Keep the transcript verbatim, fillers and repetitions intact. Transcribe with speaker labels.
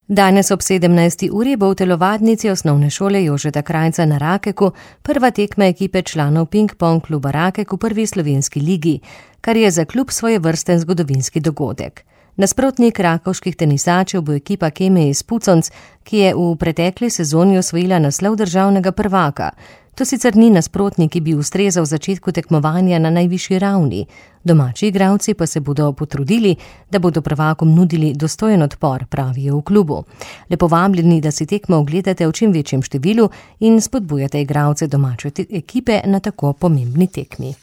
Speaker 1: Danes ob sedemnajsti uri bo v telovadnici osnovne šole Jožeta Krajnca na Rakeku prva tekma ekipe članov ping-pong kluba Rakek v prvi slovenski ligi, kar je za klub svojevrsten zgodovinski dogodek. Nasprotnik rakovških tenisačev bo ekipa Keme iz Puconc, ki je v pretekli sezoni osvojila naslov državnega prvaka. To sicer ni nasprotnik, ki bi ustrezal začetku tekmovanja na najvišji ravni. Domači igralci pa se bodo potrudili, da bodo prvakom nudili dostojen odpor, pravijo v klubu. Lepo vabljeni, da si tekmo ogledate v čim večjem številu in spodbujate igralce domače ekipe na tako pomembni tekmi.